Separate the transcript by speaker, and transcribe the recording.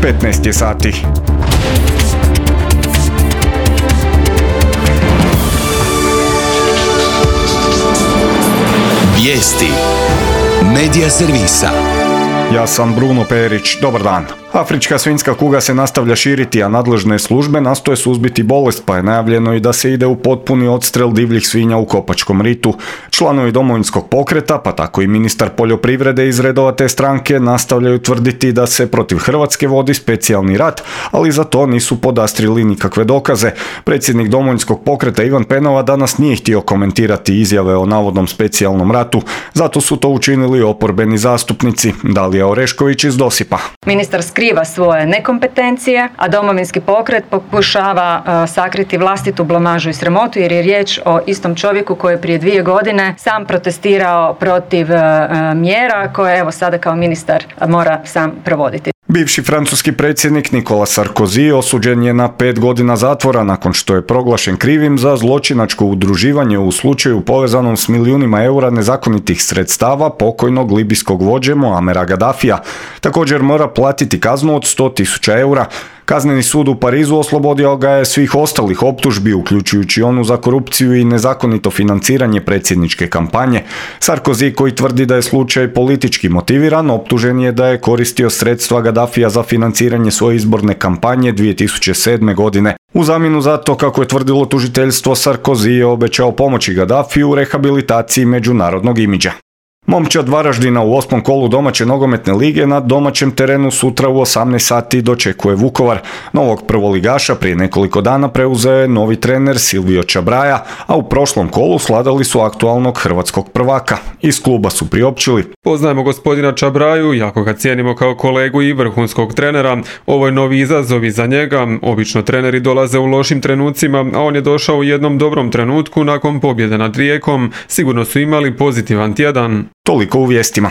Speaker 1: 15 je sati.
Speaker 2: Vijesti Medija servisa.
Speaker 1: Ja sam Bruno Perić, dobar dan. Afrička svinjska kuga se nastavlja širiti, a nadležne službe nastoje suzbiti bolest, pa je najavljeno i da se ide u potpuni odstrel divljih svinja u Kopačkom ritu. Članovi Domovinskog pokreta, pa tako i ministar poljoprivrede iz redova te stranke, nastavljaju tvrditi da se protiv Hrvatske vodi specijalni rat, ali za to nisu podastrili nikakve dokaze. Predsjednik Domovinskog pokreta Ivan Penava danas nije htio komentirati izjave o navodnom specijalnom ratu, zato su to učinili oporbeni zastupnici. Dalija Orešković iz Dosipa.
Speaker 3: Ministar skriva svoje nekompetencije, a Domovinski pokret pokušava sakriti vlastitu blamažu i sramotu, jer je riječ o istom čovjeku koji je prije 2 godine sam protestirao protiv mjera koje evo sada kao ministar mora sam provoditi.
Speaker 1: Bivši francuski predsjednik Nicolas Sarkozy osuđen je na 5 godina zatvora nakon što je proglašen krivim za zločinačko udruživanje u slučaju povezanom s milijunima eura nezakonitih sredstava pokojnog libijskog vođe Muamera Gaddafija. Također mora platiti kaznu od 100.000 eura. Kazneni sud u Parizu oslobodio ga je svih ostalih optužbi, uključujući onu za korupciju i nezakonito financiranje predsjedničke kampanje. Sarkozy, koji tvrdi da je slučaj politički motiviran, optužen je da je koristio sredstva Gaddafija za financiranje svoje izborne kampanje 2007. godine. U zamjenu za to, kako je tvrdilo tužiteljstvo, Sarkozy je obećao pomoći Gaddafiju u rehabilitaciji međunarodnog imidža. Momčad Varaždina u 8. kolu domaće nogometne lige na domaćem terenu sutra u 18 sati dočekuje Vukovar. Novog prvoligaša prije nekoliko dana preuzeo je novi trener Silvio Čabraja, a u prošlom kolu svladali su aktualnog hrvatskog prvaka. Iz kluba su priopćili:
Speaker 4: poznajemo gospodina Čabraju, jako ga cijenimo kao kolegu i vrhunskog trenera. Ovo je novi izazov i za njega. Obično treneri dolaze u lošim trenucima, a on je došao u jednom dobrom trenutku nakon pobjede nad Rijekom. Sigurno su imali pozitivan tjedan.
Speaker 1: Toliko u vijestima.